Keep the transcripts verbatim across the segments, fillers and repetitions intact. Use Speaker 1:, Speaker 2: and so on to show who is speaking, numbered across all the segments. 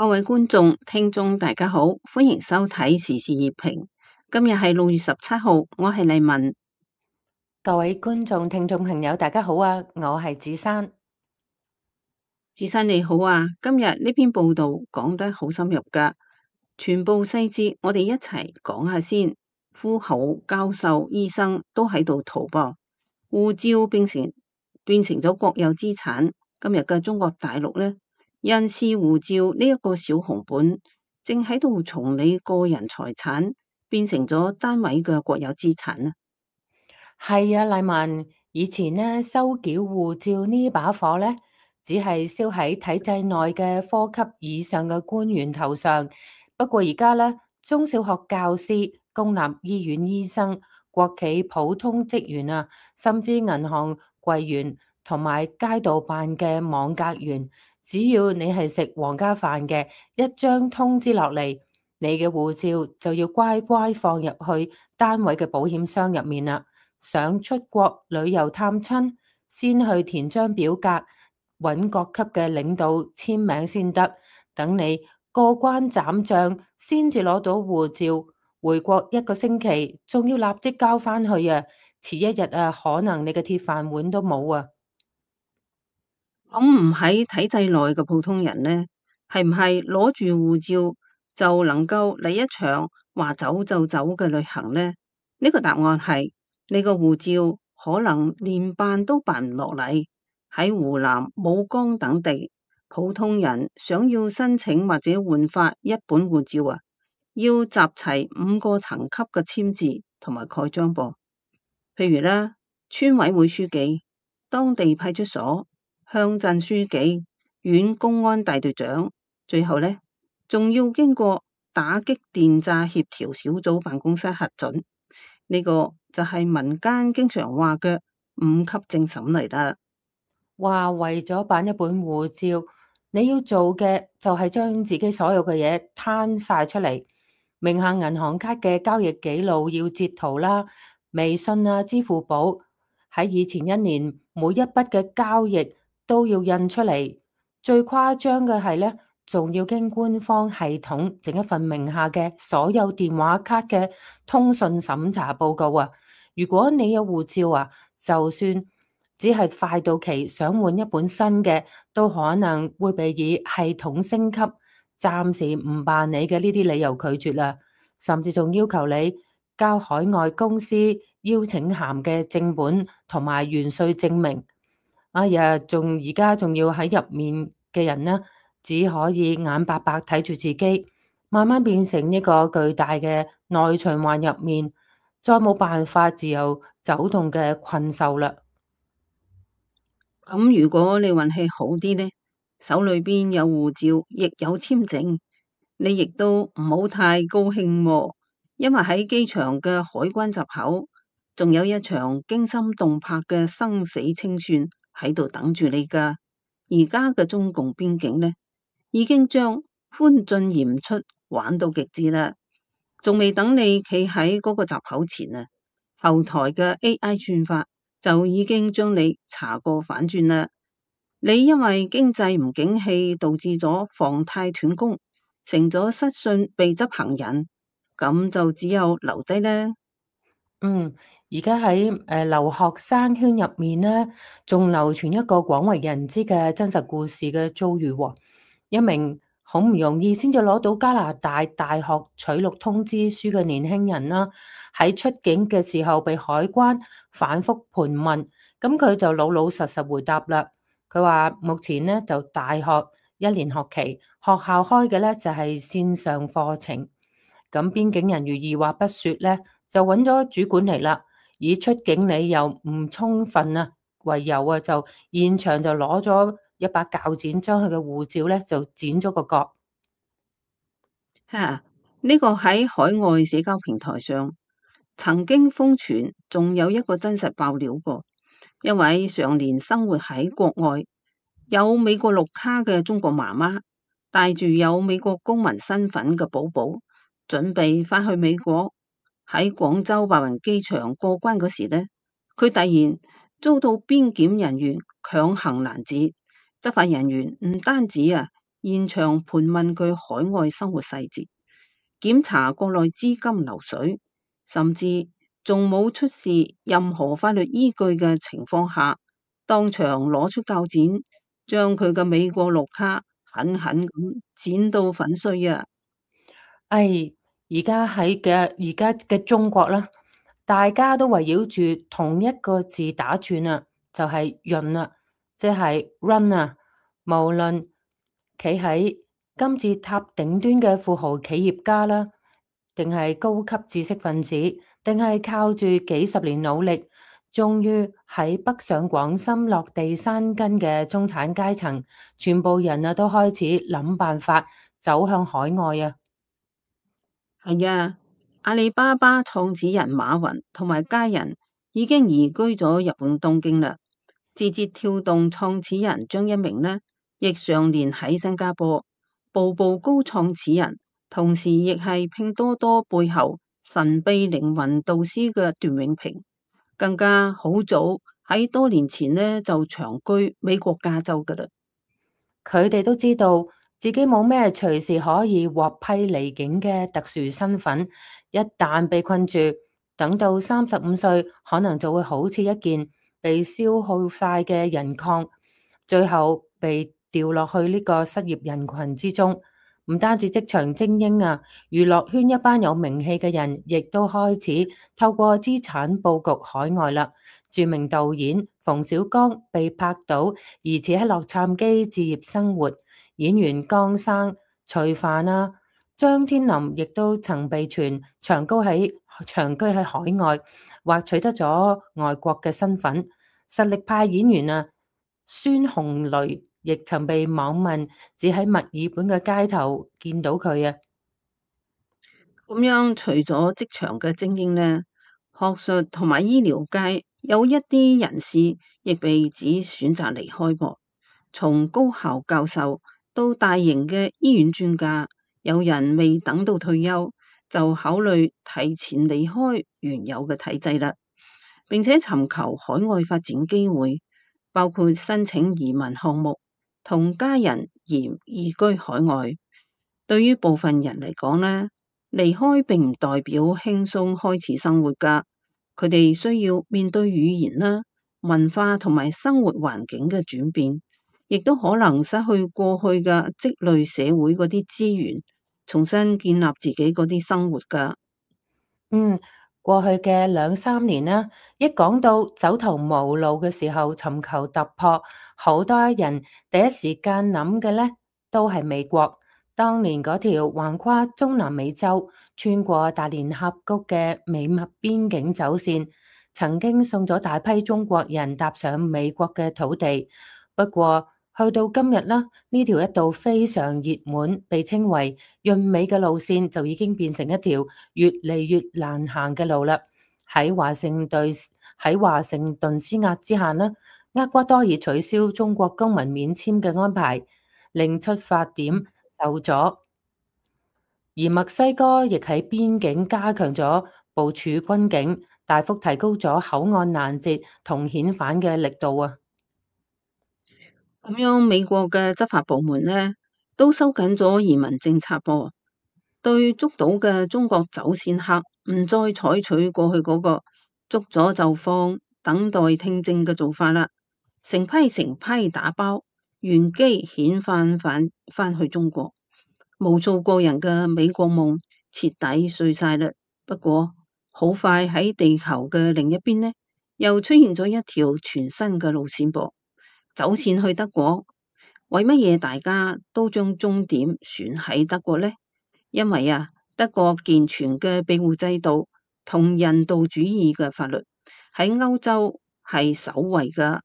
Speaker 1: 各位觀眾、聽眾，大家好，歡迎收睇時事熱評。今日係六月十七號，我係麗文。
Speaker 2: 各位觀眾、聽眾朋友，大家好啊！我係子珊。
Speaker 1: 子珊你好啊！今日呢篇報道講得好深入噶，全部細節我哋一齊講下先。富豪、教授、醫生都喺度逃噃，護照變成變成咗國有資產。今日嘅中國大陸呢，人事護照呢一個小紅本，正喺度從你個人財產變成咗單位嘅國有資產啊！
Speaker 2: 係啊，麗文，以前呢，收繳護照呢把火呢，只係燒喺體制內嘅科級以上嘅官員頭上。不過而家呢，中小學教師、公立醫院醫生、國企普通職員啊，甚至銀行櫃員同埋街道辦嘅網格員，只要你係食皇家飯嘅，一張通知落嚟，你嘅護照就要乖乖放入去單位嘅保險箱入面啦。想出國旅遊探親，先去填張表格，揾各級嘅領導簽名先得。等你過關斬將，先至攞到護照。回國一個星期，仲要立即交返去啊！遲一日啊，可能你嘅鐵飯碗都冇啊！
Speaker 1: 咁唔喺體制內嘅普通人呢，係唔係攞住護照就能夠嚟一場話走就走嘅旅行呢？呢個答案係你個護照可能連辦都辦唔落嚟。喺湖南、武江等地，普通人想要申請或者換發一本護照啊，要集齊五個層級嘅簽字同埋蓋章噃。譬如啦，村委會書記、當地派出所、鄉鎮書記、縣公安大隊長，最後呢，仲要經過打擊電詐協調小組辦公室核准。呢個就係民間經常話嘅五級政審嚟啦。
Speaker 2: 話為咗辦一本護照，你要做嘅就係將自己所有嘅嘢攤晒出嚟，名下銀行卡嘅交易記錄要截圖啦，微信啊、支付寶喺以前一年每一筆嘅交易都要印出嚟。最誇張嘅係呢，仲要經官方系統整一份名下嘅所有電話卡嘅通訊審查報告啊！如果你有護照啊，就算只係快到期想換一本新嘅，都可能會被以系統升級、暫時唔辦理嘅呢啲理由拒絕啦，甚至仲要求你交海外公司邀請函嘅正本同埋完稅證明。哎呀，仲而家仲要喺入面嘅人呢，只可以眼白白睇住自己，慢慢變成一個巨大嘅內循環入面，再冇辦法自由走動嘅困獸啦。
Speaker 1: 咁如果你運氣好啲呢，手裏邊有護照，亦有簽證，你亦都唔好太高興喎，因為喺機場嘅海關閘口，仲有一場驚心動魄嘅生死清算喺度等住你噶。而家嘅中共邊境呢，已經將寬進嚴出玩到極致啦，仲未等你企喺嗰個閘口前啊，後台嘅 A I 算法就已經將你查過反轉啦。你因為經濟唔景氣，導致咗房貸斷供，成咗失信被執行人，咁就只有留低啦。
Speaker 2: 嗯，而家喺誒留學生圈入面呢，仲流傳一個廣為人知嘅真實故事嘅遭遇喎。一名好唔容易先至攞到加拿大大學取錄通知書嘅年輕人啦，喺出境嘅時候被海關反覆盤問，咁佢就老老實實回答啦。佢話目前呢就大學一年學期，學校開嘅呢就係線上課程。咁邊境人如二話不說呢，就揾咗主管嚟啦，以出境理由唔充分啊為由啊，就現場就攞咗一把鉸剪，將佢嘅護照咧就剪咗個角。
Speaker 1: 吓，呢個喺海外社交平台上曾經瘋傳，仲有一個真實爆料噃。一位常年生活喺國外，有美國綠卡嘅中國媽媽，帶住有美國公民身份嘅寶寶，準備翻去美國。喺廣州白雲機場過關嗰時呢，佢突然遭到邊檢人員強行攔截。執法人員唔單止啊，現場盤問佢海外生活細節，檢查國內資金流水，甚至仲冇出示任何法律依據嘅情況下，當場攞出鉸剪，將佢嘅美國綠卡狠狠咁剪到粉碎啊！
Speaker 2: 唉，而家喺嘅而家嘅中國啦，大家都圍繞住同一個字打轉啊，就係潤啊，即係 run 啊。無論企喺金字塔頂端嘅富豪企業家啦，定係高級知識分子，定係靠住幾十年努力，終於喺北上廣深落地生根嘅中產階層，全部人啊都開始諗辦法走向海外啊！
Speaker 1: 係啊，阿里巴巴創始人馬雲同埋家人已經移居咗日本東京啦。字節跳動創始人張一鳴呢，亦常年喺新加坡。步步高創始人，同時亦係拼多多背後神秘靈魂導師嘅段永平，更加好早喺多年前呢就長居美國加州噶啦。
Speaker 2: 佢哋都知道自己冇咩隨時可以獲批離境嘅特殊身份，一旦被困住，等到三十五歲，可能就會好似一件被消耗晒嘅銀礦，最後被掉落去呢個失業人群之中。唔單止職場精英啊，娛樂圈一班有名氣嘅人，亦都開始透過資產佈局海外啦。著名導演馮小剛被拍到疑似喺洛杉磯置業生活，演員江生、徐帆啊、張天林亦都曾被傳長居喺長居喺海外，或取得咗外國嘅身份。實力派演員啊，孫紅雷亦曾被網民只喺墨爾本嘅街頭見到佢啊。
Speaker 1: 咁樣除咗職場嘅精英呢，學術同埋醫療界有一啲人士亦被指選擇離開噃。從高校教授到大型嘅醫院專家，有人未等到退休就考慮提前離開原有嘅體制啦，並且尋求海外發展機會，包括申請移民項目同家人移移居海外。對於部分人嚟講呢，離開並唔代表輕鬆開始生活噶，佢哋需要面對語言啦、文化同埋生活環境嘅轉變，亦都可能失去過去嘅積累社會嗰啲資源，重新建立自己嗰啲生活噶。
Speaker 2: 嗯，過去嘅兩三年啦，一講到走投無路嘅時候，尋求突破，好多人第一時間諗嘅咧都係美國。當年嗰條橫跨中南美洲、穿過大連峽谷嘅美墨邊境走線，曾經送咗大批中國人踏上美國嘅土地。不過，去到今日啦，呢條一度非常熱門，被稱為潤美嘅路線，就已經變成一條越嚟越難行嘅路啦。喺華盛頓喺華盛頓施壓之下呢，厄瓜多爾取消中國公民免簽嘅安排，令出發點受阻，而墨西哥亦喺邊境加強咗部署軍警，大幅提高咗口岸攔截同遣返嘅力度啊！
Speaker 1: 咁樣美國嘅執法部門呢，都收緊咗移民政策噃，對捉到嘅中國走線客唔再採取過去嗰個捉咗就放、等待聽證嘅做法啦，成批成批打包原機遣返返返去中國。無數個人嘅美國夢徹底碎晒啦。不過好快喺地球嘅另一邊呢，又出現咗一條全新嘅路線噃，走線去德國。為乜嘢大家都將終點選喺德國呢？因為啊，德國健全嘅庇護制度同人道主義嘅法律喺歐洲係首位噶。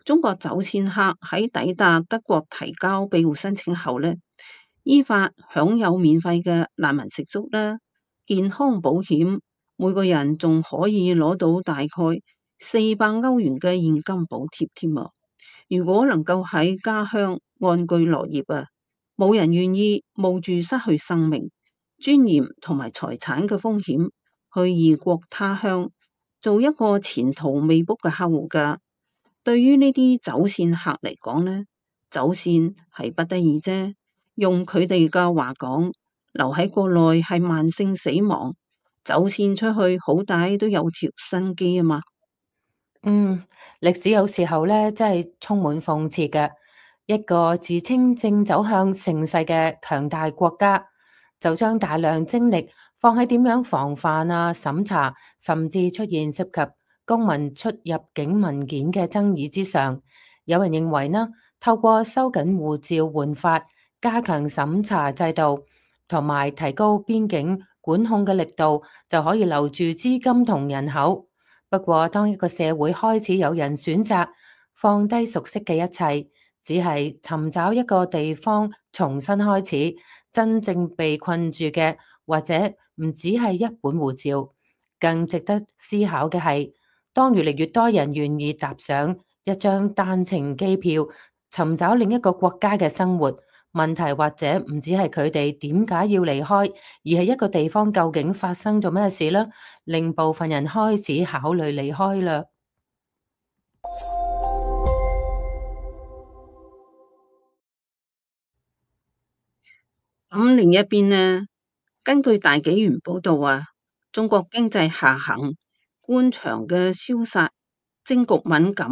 Speaker 1: 中國走線客喺抵達德國提交庇護申請後呢，依法享有免費嘅難民食宿啦、健康保險，每個人仲可以攞到大概四百歐元嘅現金補貼添啊！如果能夠喺家鄉安居樂業啊，冇人願意冒住失去生命、尊嚴同埋財產嘅風險去異國他鄉做一個前途未卜嘅客戶噶。對於呢啲走線客嚟講呢，走線係不得已啫。用佢哋嘅話講，留喺國內係慢性死亡，走線出去好歹都有條生機啊嘛。
Speaker 2: 嗯，歷史有時候咧，真係充滿諷刺嘅。一個自稱正走向盛世嘅強大國家，就將大量精力放喺點樣防範啊、審查，甚至出現涉及公民出入境文件嘅爭議之上。有人認為呢，透過收緊護照換發、加強審查制度，同埋提高邊境管控嘅力度，就可以留住資金同人口。不過，當一個社會開始有人選擇放低熟悉嘅一切，只係尋找一個地方重新開始，真正被困住嘅，或者唔只係一本護照。更值得思考嘅係，當越嚟越多人願意踏上一張單程機票，尋找另一個國家嘅生活，問題或者唔止係佢哋點解要離開，而係一個地方究竟發生咗咩事呢？令部分人開始考慮離開啦。
Speaker 1: 咁另一邊呢，根據大紀元報道啊，中國經濟下行，官場嘅消殺，政局敏感。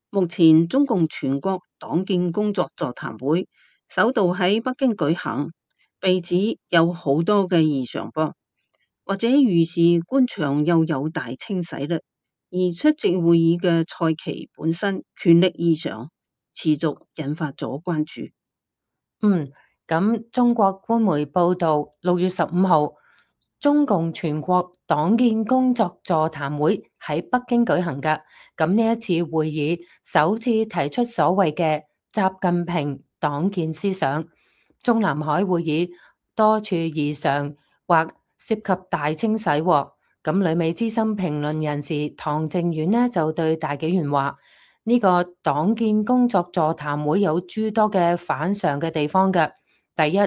Speaker 1: 目前中共全國黨建工作座談會首度喺北京舉行，被指有好多嘅異常噃，或者預示官場又有大清洗啦。而出席會議嘅蔡奇本身權力異常，持續引發咗關注。
Speaker 2: 嗯，咁中國官媒報道，六月十五號，中共全國黨建工作座談會喺北京舉行㗎。咁呢一次會議首次提出所謂嘅習近平黨建思想。中南海會議多處異常或涉及大清洗喎。咁旅美資深評論人士唐靖遠呢就對大紀元話：呢個黨建工作座談會有諸多嘅反常嘅地方嘅。第一，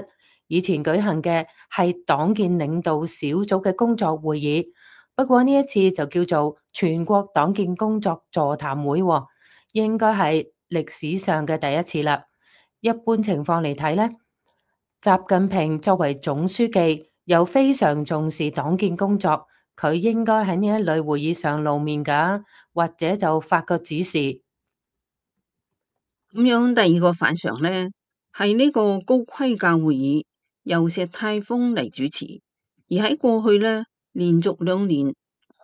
Speaker 2: 以前舉行嘅係黨建領導小組嘅工作會議，不過呢一次就叫做全國黨建工作座談會喎，應該係歷史上嘅第一次啦。一般情況嚟睇呢，習近平作為總書記，又非常重視黨建工作，佢應該喺呢一類會議上露面㗎，或者就發個指示。
Speaker 1: 咁樣第二個反常呢，係呢個高規格會議由石泰峰嚟主持，而喺過去呢，連續兩年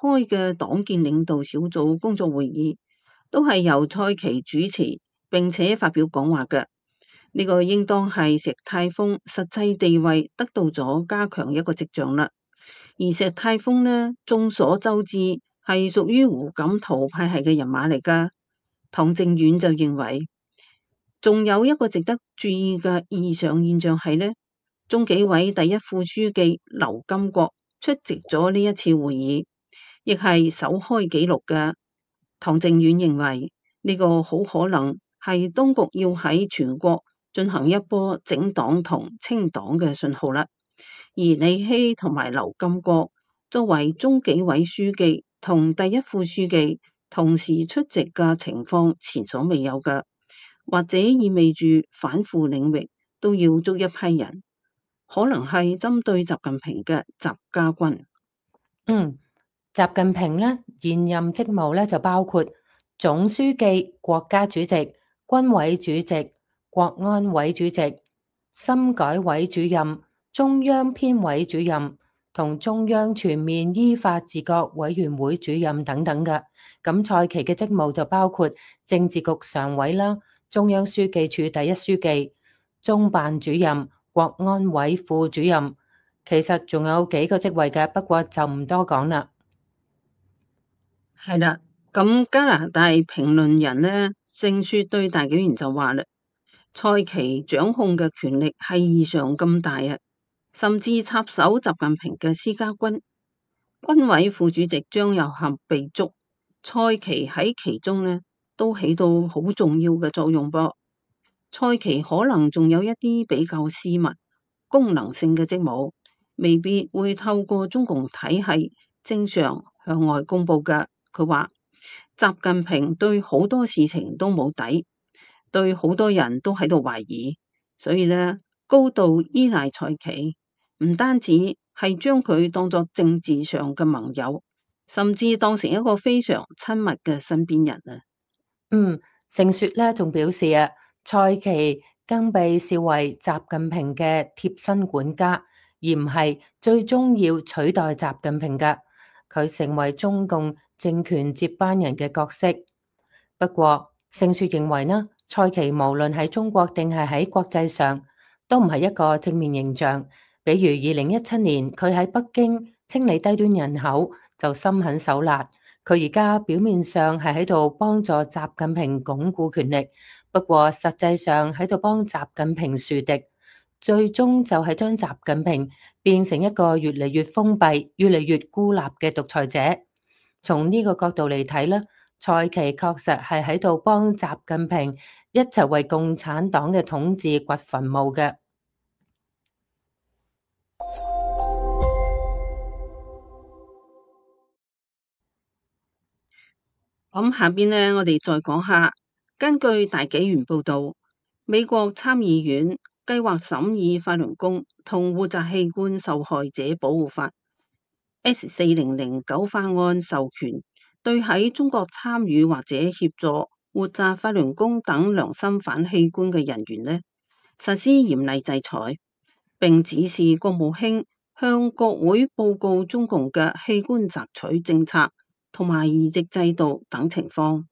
Speaker 1: 開嘅黨建領導小組工作會議，都係由蔡奇主持，並且發表講話嘅。呢個應當係石泰峰實際地位得到咗加強一個跡象啦。而石泰峰呢，眾所周知係屬於胡錦濤派系嘅人馬嚟噶。唐靖遠就認為，仲有一個值得注意嘅異常現象係呢，中紀委第一副書記劉金國出席咗呢一次會議，亦係首開紀錄嘅。唐靖遠認為呢個好可能係當局要喺全國進行一波整黨同清黨嘅信號啦。而李希同埋劉金國作為中紀委書記同第一副書記同時出席嘅情況前所未有嘅，或者意味住反腐領域都要捉一批人，可能係針對習近平嘅習家軍。
Speaker 2: 嗯，習近平呢現任職務呢就包括總書記、國家主席、軍委主席、國安委主席、深改委主任、中央編委主任同中央全面依法治國委員會主任等等嘅。咁蔡奇嘅職務就包括政治局常委啦、中央書記處第一書記、中辦主任、國安委副主任。其實仲有幾個職位嘅，不過就唔多講啦。
Speaker 1: 係啦，咁加拿大評論人呢，盛雪對大紀元就話啦，蔡奇掌控嘅權力係異常咁大啊，甚至插手習近平嘅私家軍。軍委副主席張又俠被捉，蔡奇喺其中呢都起到好重要嘅作用噃。蔡奇可能仲有一啲比較私密、功能性嘅職務，未必會透過中共體系正常向外公布嘅。佢話習近平對好多事情都冇底，對好多人都喺度懷疑，所以呢，高度依賴蔡奇，唔單止係將佢當作政治上嘅盟友，甚至當成一個非常親密嘅身邊人啊！
Speaker 2: 嗯，盛雪咧仲表示啊，蔡奇更被視為習近平嘅貼身管家，而唔係最終要取代習近平嘅。佢成為中共政權接班人嘅角色。不過，盛雪認為呢，蔡奇無論喺中國定係喺國際上，都唔係一個正面形象。比如二零一七年佢喺北京清理低端人口，就心狠手辣。佢而家表面上係喺度幫助習近平鞏固權力，不過實際上喺度幫習近平樹敵，最終就係將習近平變成一個越嚟越封閉、越嚟越孤立嘅獨裁者。從呢個角度嚟睇咧，蔡奇確實係喺度幫習近平一齊為共產黨嘅統治掘墳墓嘅。
Speaker 1: 咁下邊呢，我哋再講下，根據大紀元報道，美國參議院計劃審議法輪功同活摘器官受害者保護法 S 四零零九法案，授權對喺中國參與或者協助活摘法輪功等良心反器官嘅人員呢，實施嚴厲制裁，並指示國務卿向國會報告中共嘅器官摘取政策同埋移植制度等情況。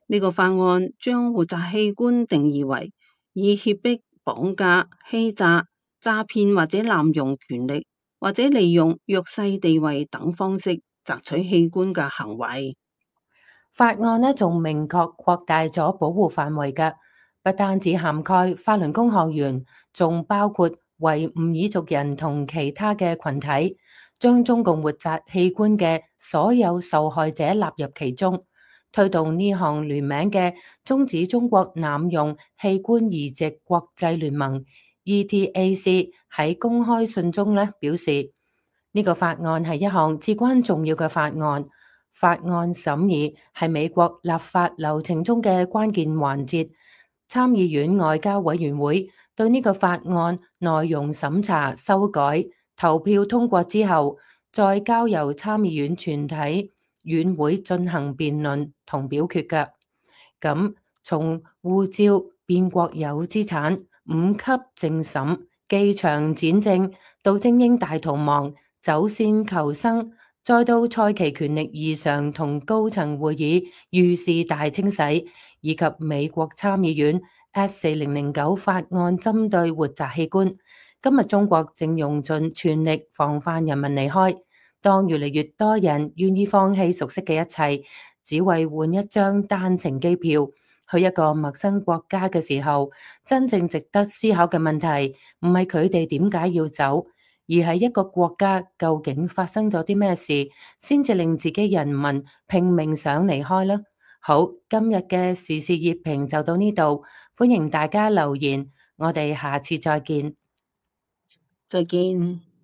Speaker 1: 呢個法案將活摘器官定義為以脅迫、綁架、欺詐、詐騙或者濫用權力或者利用弱勢地位等方式摘取器官嘅行為。
Speaker 2: 法案呢仲明確擴大咗保護範圍嘅，不單止涵蓋法輪功學員，仲包括維吾爾族人同其他嘅群體，將中共活摘器官嘅所有受害者納入其中，推動呢項聯名嘅終止中國濫用器官移植國際聯盟 E T A C 喺公開信中呢表示，呢個法案係一項至關重要嘅法案。法案審議係美國立法流程中嘅關鍵環節，參議院外交委員會對呢個法案內容審查、修改、投票通過之後，再交由參議院全體院會進行辯論同表決嘅。咁從護照變國有資產、五級政審、機場剪證到精英大逃亡、走線求生，再到蔡奇權力異常同高層會議遇事大清洗，以及美國參議院 S 四零零九法案針對活摘器官，今日中國正用盡全力防範人民離開。當越嚟越多人願意放棄熟悉嘅一切，只為換一張單程機票去一個陌生國家嘅時候，真正值得思考嘅問題唔係佢哋點解要走，而係一個國家究竟發生咗啲咩事，先至令自己人民拼命想離開呢？好，今日嘅時事熱評就到呢度，歡迎大家留言，我哋下次再見。
Speaker 1: 再見。